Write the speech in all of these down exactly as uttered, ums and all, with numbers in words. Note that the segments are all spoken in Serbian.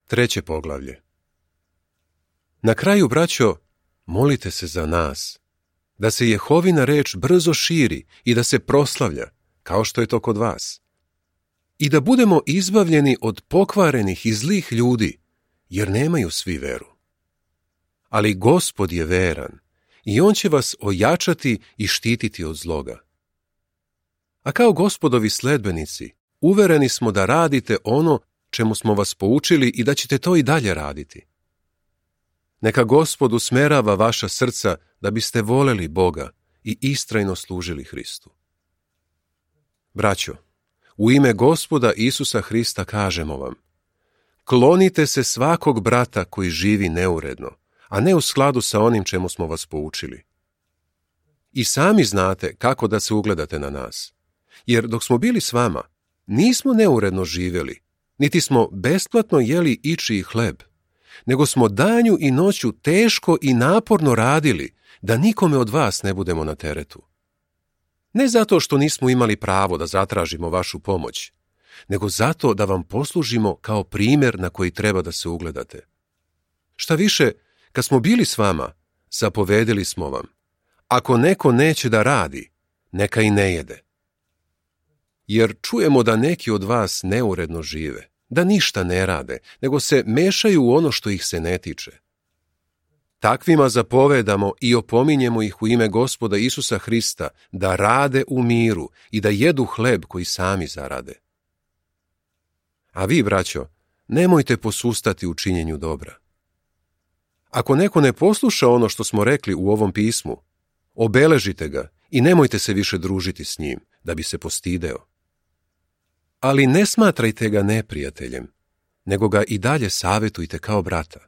Treće poglavlje. Na kraju, braćo, molite se za nas, da se Jehovina reč brzo širi i da se proslavlja, kao što je to kod vas. I da budemo izbavljeni od pokvarenih i zlih ljudi, jer nemaju svi veru. Ali Gospod je veran i on će vas ojačati i štititi od zloga. A kao Gospodovi sledbenici, uvereni smo da radite ono čemu smo vas poučili i da ćete to i dalje raditi. Neka Gospod usmerava vaša srca da biste voleli Boga i istrajno služili Hristu. Braćo, u ime Gospoda Isusa Hrista kažemo vam, klonite se svakog brata koji živi neuredno, a ne u skladu sa onim čemu smo vas poučili. I sami znate kako da se ugledate na nas, jer dok smo bili s vama, nismo neuredno živjeli, niti smo besplatno jeli ičiji hleb, nego smo danju i noću teško i naporno radili, da nikome od vas ne budemo na teretu. Ne zato što nismo imali pravo da zatražimo vašu pomoć, nego zato da vam poslužimo kao primjer na koji treba da se ugledate. Šta više, kad smo bili s vama, zapovedili smo vam, ako neko neće da radi, neka i ne jede. Jer čujemo da neki od vas neuredno žive, da ništa ne rade, nego se mešaju u ono što ih se ne tiče. Takvima zapovedamo i opominjemo ih u ime Gospoda Isusa Hrista da rade u miru i da jedu hleb koji sami zarade. A vi, braćo, nemojte posustati u činjenju dobra. Ako neko ne posluša ono što smo rekli u ovom pismu, obeležite ga i nemojte se više družiti s njim, da bi se postideo. Ali ne smatrajte ga neprijateljem, nego ga i dalje savjetujte kao brata.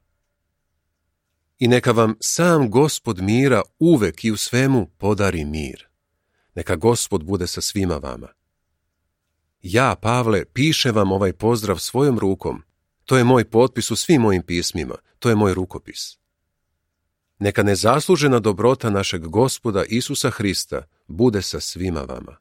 I neka vam sam Gospod mira uvek i u svemu podari mir. Neka Gospod bude sa svima vama. Ja, Pavle, pišem vam ovaj pozdrav svojom rukom. To je moj potpis u svim mojim pismima. To je moj rukopis. Neka nezaslužena dobrota našeg Gospoda Isusa Hrista bude sa svima vama.